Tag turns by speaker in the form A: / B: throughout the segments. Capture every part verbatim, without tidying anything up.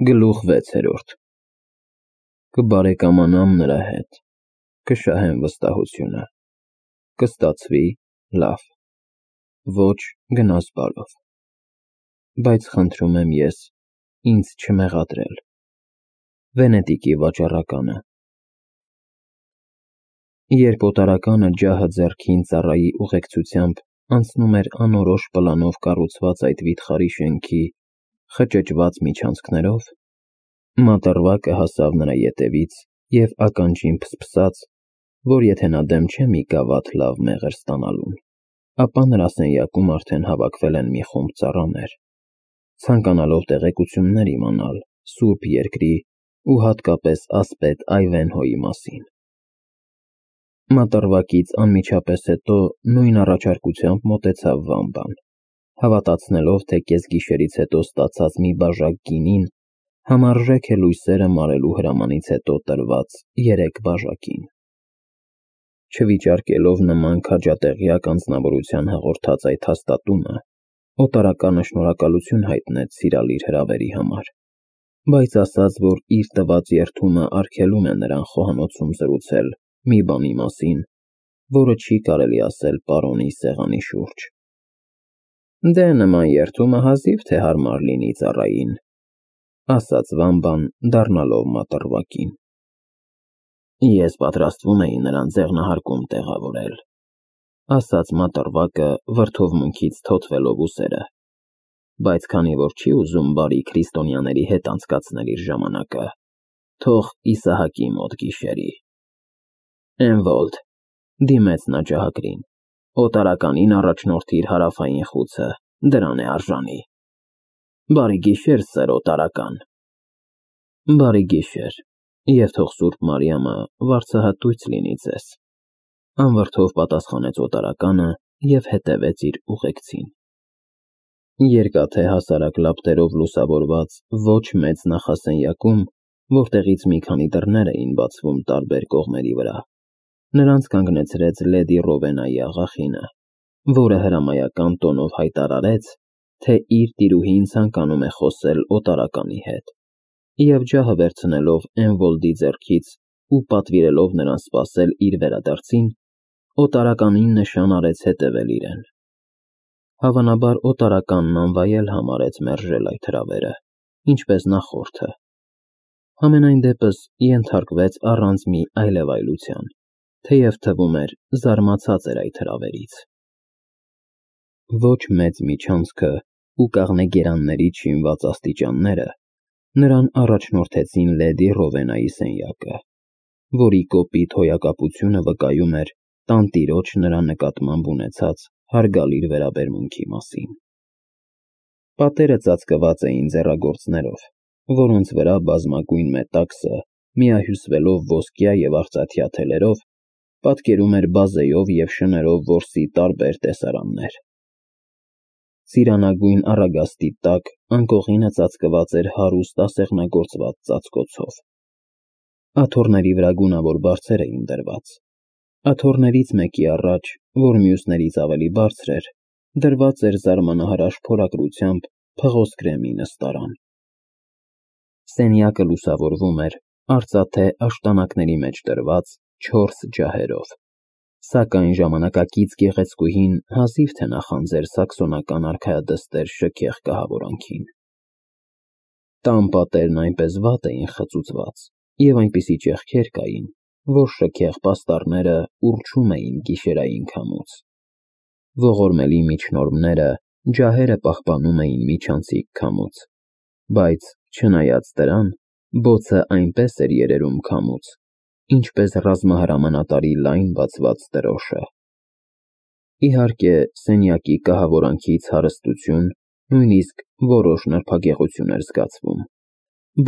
A: Գլուխ վեցերորդ Կբարեկամանամ նրա հետ, կշահեմ վստահությունը, կստացվի լավ, ոչ գնաս բարով, բայց խնդրում եմ ես ինձ չմեղադրել։ Վենետիկի վաճառականը Երբ օտարականը ջահը ձեռքին ծառայի ուղեկցությամբ անցնում էր անորոշ պլանով կառուցված այդ վիթխարի շենքի խճճված միջանցքներով, մատառվակը հասավ նրա ետևից և ականջին փսփսաց, որ եթե նա դեմ չէ մի գավաթ լավ մեղր ստանալուն, ապա նրա սենյակում արդեն հավաքվել են մի խումբ ծառաներ, ցանկանալով տեղեկություններ իմանալ Սուրբ Երկրի ու հատկապես ասպետ Այվենհոյի մասին։ Մատառվակից անմիջապես հետո նույն առաջարկությամբ մոտեցավ Վամբան, հավատացնելով, թե կեսգիշերից հետո ստացած մի բաժակ գինին համարժեք է լույսերը մարելու հրամանից հետո տրված երեք բաժակին։ Չվիճարկելով նման քաջատեղյակ անձնավորության հաղորդած այդ հաստատումը, օտարականը շնորհակալություն հայտնեց սիրալիր հրավերի համար, բայց ասաց, որ իր տված երդումը արգելում է նրան խոհանոցում զրուցել մի բանի մասին, որը չի կարելի ասել պարոնի սեղանի շուրջ։ Դե նման երդումը հազիվ թե հարմար լինի ծառային, ասաց Վամբան, դառնալով մատառվակին։ Ես պատրաստվում էի նրան ձեղնահարկում տեղավորել, ասաց մատառվակը վրդովմունքից թոթվելով ուսերը, բայց քանի որ չի ուզում բարի քրիստոնյաների հետ անցկացնել իր ժամանակը, թող Իսահակի մոտ գիշերի։ Էնվոլդ, դիմեց նա ջահագրին, օտարականին առաջնորդիր հարավային խուցը, դրան է արժանի։ Բարի գիշեր, սեր օտարական։ Բարի գիշեր, և թող Սուրբ Մարիամը վարձահատույց լինի ձեզ, անվրդով պատասխանեց օտարականը և հետևեց իր ուղեկցին։ Երկաթե հասարակ լապտերով լուսավորված ոչ մեծ նախասենյակում, որտեղից մի քանի դռներ էին բացվում տարբեր կողմերի վրա, նրանց կանգնեցրեց լեդի Ռովենայի աղախինը, որը հրամայական տոնով հայտարարեց, թե իր տիրուհին ցանկանում է խոսել օտարականի հետ, և ջահը վերցնելով Էնվոլդի ձեռքից ու պատվիրելով նրան սպասել իր վերադարձին, օտարականին նշան արեց հետևել իրեն։ Հավանաբար օտարականն անվայել համարեց մերժել այդ հրավերը, ինչպես նախորդը, համենայն դեպս ենթարկվեց առանց մի այլևայլության, թեև թվում էր զարմացած էր այդ հրավերից։ Ոչ մեծ միջանցքը ու կաղնե շինված աստիճանները նրան առաջնորդեցին լեդի Ռովենայի սենյակը, որի կոպիտ հոյակապությունը վկայում էր տանտիրոջ նրա նկատմամբ ունեցած հարգալից վերաբերմունքի մասին։ Պատերը ծածկված էին ձեռագործներով, որոնց վրա բազմագույն մետաքսը, միահյուսվելով ոսկյա և արծաթյա թելերով, պատկերում էր բազեով և շներով որսի տարբեր տեսարաններ։ Ծիրանագույն առագաստի տակ անկողինը ծածկված էր հարուստ ասեղնագործված ծածկոցով։ Աթոռների վրա գունավոր բարձեր էին դրված։ Աթոռներից մեկի առաջ, որ մյուսներից ավելի բարձր էր, դրված էր զարմանահրաշ փորագրությամբ փղոսկրեմի նստարան։ Սենյակը լուսավորվում էր արծաթե աշտանակների մեջ դրված չորս ջահերով, սակայն ժամանակակից գեղեցկուհին հազիվ թե նախանձեր սաքսոնական արքայադստեր շքեղ կահավորանքին։ Տան պատերն այնպես վատ էին խծուծված և այնպիսի ճեղքեր կային, որ շքեղ պաստառները ուռչում էին գիշերային քամուց։ Ողորմելի միջնորմները ջահերը պահպանում էին միջանցիկ քամուց, բայց, չնայած դրան, բոցը այնպես էր երերում քամուց, ինչպես ռազմահրամանատարի լայն բացված դրոշը։ Իհարկե, սենյակի կահավորանքից հարստություն, նույնիսկ որոշ նրբագեղություն էր զգացվում,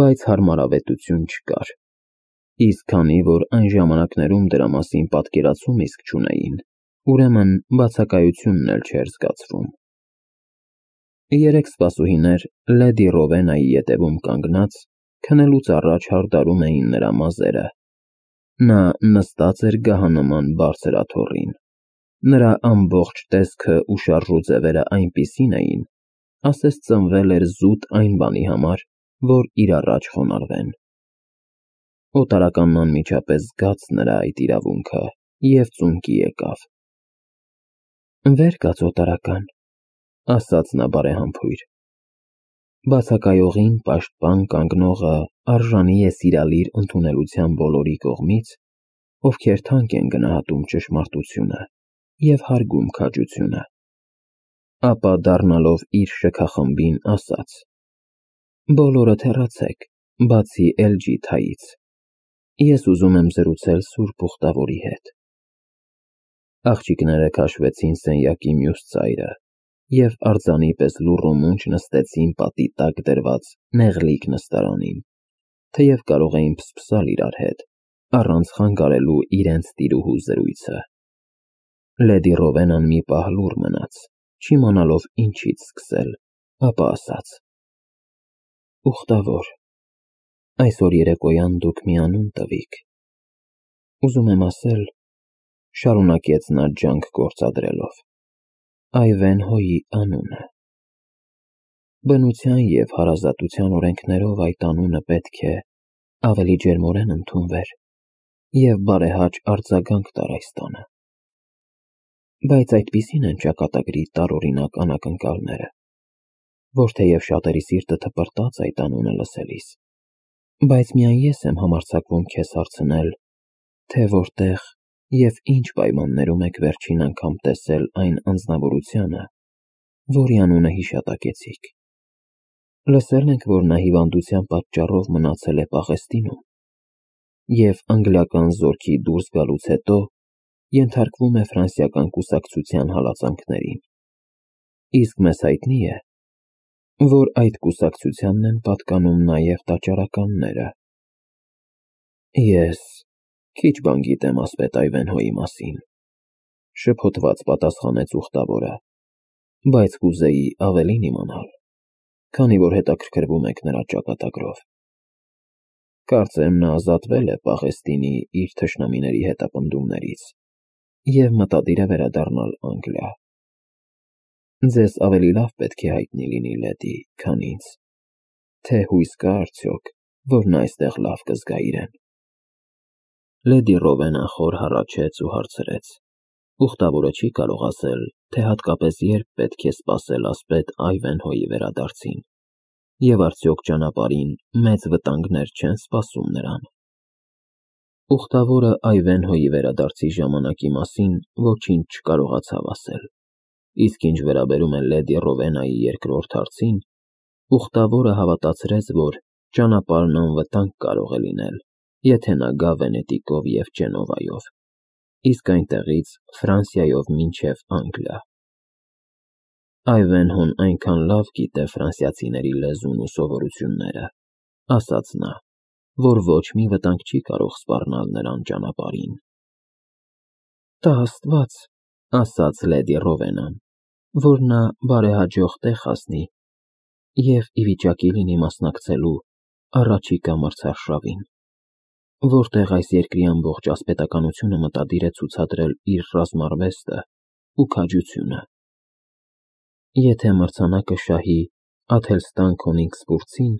A: բայց հարմարավետություն չկար, իսկ քանի որ այն ժամանակներում դրա մասին պատկերացում իսկ չունեին, ուրեմն բացակայությունն էլ չէր զգացվում։ Երեք սպասուհիներ լեդի Ռովենայի ետևում կանգնած, քնելուց առաջ հարդարում էին նրա մազերը։ Նա նստած էր գահանման բարձր աթոռին։ Նրա ամբողջ տեսքը ու շարժու ձևերը այնպիսին էին, ասես ծնվել էր զուտ այն բանի համար, որ իր առաջ խոնարհվեն։ Օտարականն անմիջապես զգաց նրա այդ իրավունքը և ծունկի եկավ։ «Վեր կաց, օտարական», ասաց նա բարեհամբույր։ Բացակայողին պաշտպան կանգնողը արժանի է սիրալիր ընդունելության բոլորի կողմից, ովքեր թանկ են գնահատում ճշմարտությունը և հարգում քաջությունը։ Ապա դառնալով իր շքախմբին ասաց. «Բոլորդ հեռացեք, բացի Էլջիթայից, ես ուզում եմ զրուցել սուրբ ուխտավորի հետ»։ Աղջիկները քաշվեցին սենյակի մյուս ծայրը և արձանի պես լուռ ու մունջ նստեցին պատի տակ դրված նեղլիկ նստարանին, թեև կարող էին փսփսալ իրար հետ, առանց խանգարելու իրենց տիրուհու զրույցը։ Լեդի Ռովենան մի պահ լուռ մնաց, չիմանալով ինչից սկսել, ապա ասաց. «Ուխտավոր, այսօր երեկոյան դուք մի անուն տվիք։ Ուզում եմ ասել, — շարունակեց նա ջանք գործադրելով, — Այվենհոյի անունը։ Բնության և հարազատության օրենքներով այդ անունը պետք է ավելի ջերմորեն ընդունվեր և բարեհաճ արձագանք տար այս տանը։ Բայց այդպիսին են ճակատագրի տարօրինակ անակնկալները, որ թեև շատերի սիրտը թպրտաց այդ անունը լսելիս, բայց միայն ես եմ համարձակվում քեզ հարցնել, թե որտեղ և ինչ պայմաններում եք վերջին անգամ տեսել այն անձնավորությանը, որի անունը հիշատակեցիք։ Լսել ենք, որ նա հիվանդության պատճառով մնացել է Պաղեստինում և անգլիական զորքի դուրս գալուց հետո ենթարկվում է ֆրանսիական կուսակցության հալածանքներին, իսկ մեզ հայտնի է, որ այդ կուսակցությանն են պատկանում նաև տաճարականները։ Ես քիչ բան գիտեմ ասպետ Այվենհոյի մասին, — շփոթված պատասխանեց ուխտավորը, — բայց կուզեի ավելին իմանալ, քանի որ հետաքրքրվում եք նրա ճակատագրով։ Կարծեմ նա ազատվել է Պաղեստինի իր թշնամիների հետապնդումներից և մտադիր է վերադառնալ Անգլիա։ Ձեզ ավելի լավ պետք է հայտնի լինի, լեդի, քան ինձ, թե հույս կա արդյոք, որ նա այստեղ լավ կզգա իրեն։ Լեդի Ռովենան խոր հառաչեց ու հարցրեց. ուխտավորը չի կարող ասել, թե հատկապես երբ պետք է սպասել ասպետ Այվենհոյի վերադարձին, և արդյոք ճանապարհին մեծ վտանգներ չեն սպասում նրան։ Ուխտավորը Այվենհոյի վերադարձի ժամանակի մասին ոչինչ չկարողացավ ասել, իսկ ինչ վերաբերում է լեդի Ռովենայի երկրորդ հարցին, ուխտավորը հավատացրեց, որ ճանապարհն անվտանգ կարող է լինել, եթե նա գա Վենետիկով և Ջենովայով, իսկ այնտեղից Ֆրանսիայով մինչև Անգլիա։ Այվենհոն այնքան լավ գիտե ֆրանսիացիների լեզուն ու սովորությունները, — ասաց նա, — որ ոչ մի վտանգ չի կարող սպառնալ նրան ճանապարհին։ Տա Աստված, — ասաց լեդի Ռովենան, — որ նա բարեհաջող տեղ հասնի և ի վիճակի լինի մասնակցելու առաջիկա մրցարշավին, որտեղ այս երկրի ամբողջ ասպետականությունը մտադիր է ցուցադրել իր ռազմարվեստը ու քաջությունը։ Եթե մրցանակը շահի Աթելստան Քոնիգսբուրցին,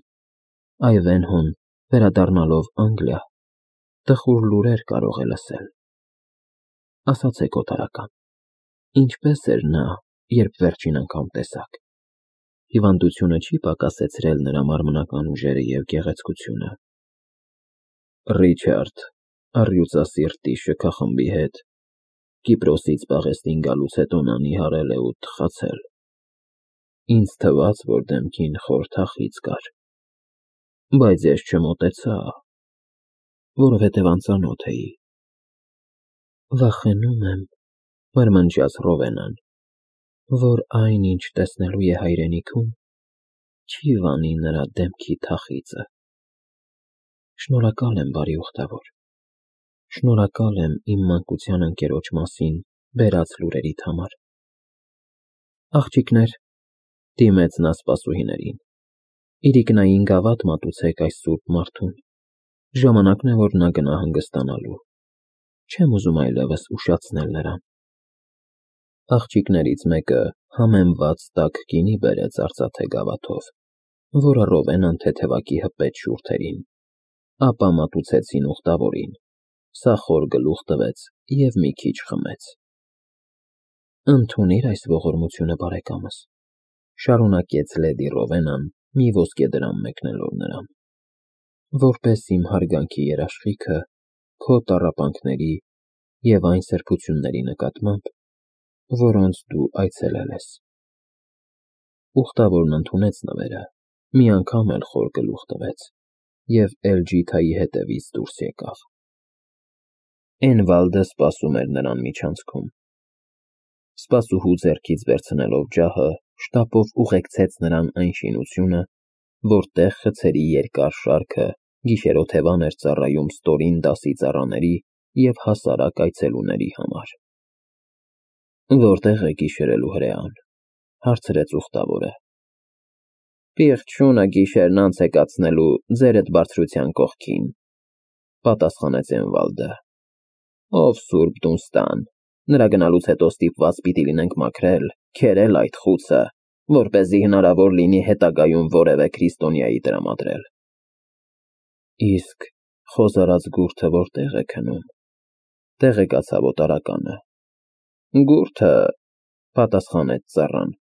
A: Այվենհոն, վերադառնալով Անգլիա, տխուր լուրեր կարող է լսել։ Ասացեք, օտարական, ինչպե՞ս էր նա, երբ վերջին անգամ տեսաք։ Հիվանդությունը չի պակասեցրել նրա մարմնական ուժերը և գեղեցկությունը։ Ռիչարդ առյուծասիրտի շքախմբի հետ Կիպրոսից Պաղեստին գալուց հետո նա նիհարել է ու թխացել։ Ինձ թվաց, որ դեմքին խոր թախիծ կար, բայց ես չմոտեցա, որովհետև անծանոթ էի։ Վախենում եմ, — մրմնջաց Ռովենան, — որ այն, ինչ տեսնելու է հայրենիքում, չի վանի նրա դեմքի թախիծը։ Շնորհակալ եմ, բարի ուխտավոր, շնորհակալ եմ իմ մանկության ընկերոջ մասին բերած լուրերիդ համար։ Աղջիկներ, — դիմեց նա սպասուհիներին, — իրիկնային գավաթ մատուցեք այս սուրբ մարդուն, ժամանակն է, որ նա գնա հանգստանալու, չեմ ուզում այլևս ուշացնել նրան։ Աղջիկներից մեկը համեմված տաք գինի բերեց արծաթե գավաթով, որը Ռովենան թեթևակի հպեց շուրթերին, ապա մատուցեցին ուխտավորին, սա խոր գլուխ տվեց և մի քիչ խմեց։ Ընդունիր այս ողորմությունը, բարեկամս, շարունակեց լեդի Ռովենան, մի ոսկեդրամ մեկնելով նրան, որպես իմ հարգանքի երաշխիքը քո տառապանքների և այն սրբությունների նկատմամբ, որոնց դու այցելել ես։ Ուխտավորն ընդունեց նվերը, մի անգամ էլ խոր գլուխ տվեց և Էլջիթայի հետևից դուրս եկավ։ Էնվալդը սպասում էր նրան միջանցքում։ Սպասուհու ձեռքից վերցնելով ջահը, շտապով ուղեկցեց նրան այն շինությունը, որտեղ խցերի երկար շարքը գիշերօթևան էր ծառայում ստորին դասի ծառաների և հասարակ այցելուների համար։ Որտե՞ղ է գիշերելու հրեան, հարցրեց ուխտավորը։ Պիղծ շունը գիշերն անց է կացնելու ձերդ բարձրության կողքին, պատասխանեց Էնվալդը։ Ով սուրբ Դունստան, նրա գնալուց հետո ստիպված պիտի լինենք մաքրել, քերել այդ խուցը, որպեսզի հնարավոր լինի հետագայում որևէ քրիստոնյայի տրամադրել։ Իսկ խոզարած գուրդը որտե՞ղ է քնում, տեղեկացավ օտարականը։ Գուրդը, պատասխանեց ծառան,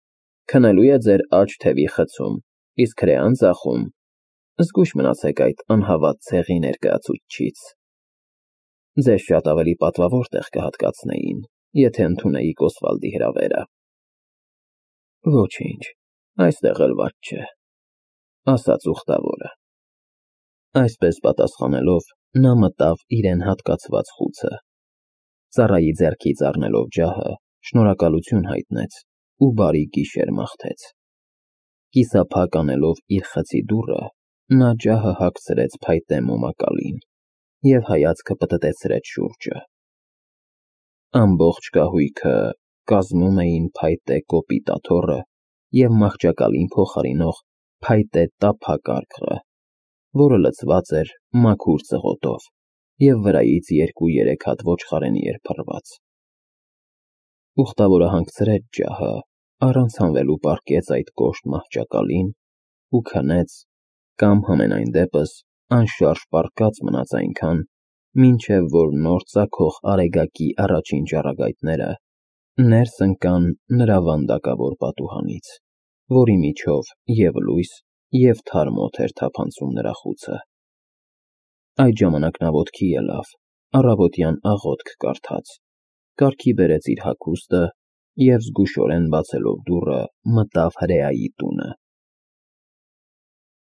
A: քնելու է ձեր աջ թևի խցում, իսկ հրեան ձախում։ Զգույշ մնացեք այդ անհավատ ցեղի ներկայացուցչից։ Ձեզ շատ ավելի պատվավոր տեղ կհատկացնեին, եթե ընդունեիք Օսվալդի հրավերը։ Ոչինչ, այստեղ էլ վատ չէ, ասաց ուխտավորը։ Այսպես պատասխանելով, նա մտավ իրեն հատկացված խուցը, ծառայի ձեռքից առնելով ջահը, շնորհակալություն հայտնեց ու բարի գիշեր մաղթեց։ Կիսափակ անելով իր խցի դուռը, նա ջահը հագցրեց փայտե մոմակալին և հայացքը պտտեցրեց շուրջը։ Ամբողջ կահույքը կազմում էին փայտե կոպիտ աթոռը և մահճակալին փոխարինող փայտե տափակարգը, որը լցված էր մաքուր ծղոտով և վրայից երկու֊երեք հատ ոչխարենի էր փռված։ Ուխտավորը հանգցրեց ջահը, առանց հանվելու պառկեց այդ կոշտ մահճակալին ու քնեց կամ համենայն դեպս անշարժ պառկած մնաց այնքան, մինչև որ նոր ծագող արեգակի առաջին ճառագայթները ներս ընկան նրա վանդակավոր պատուհանից, որի միջով և լույս, և թարմ օդ էր թափանցում նրա խուցը։ Այդ ժամանակ նա ոտքի ելավ, առավոտյան աղոթք կարդաց, կարգի բերեց իր հագուստը և զգուշորեն բացելով դուռը, մտավ հրեայի տունը։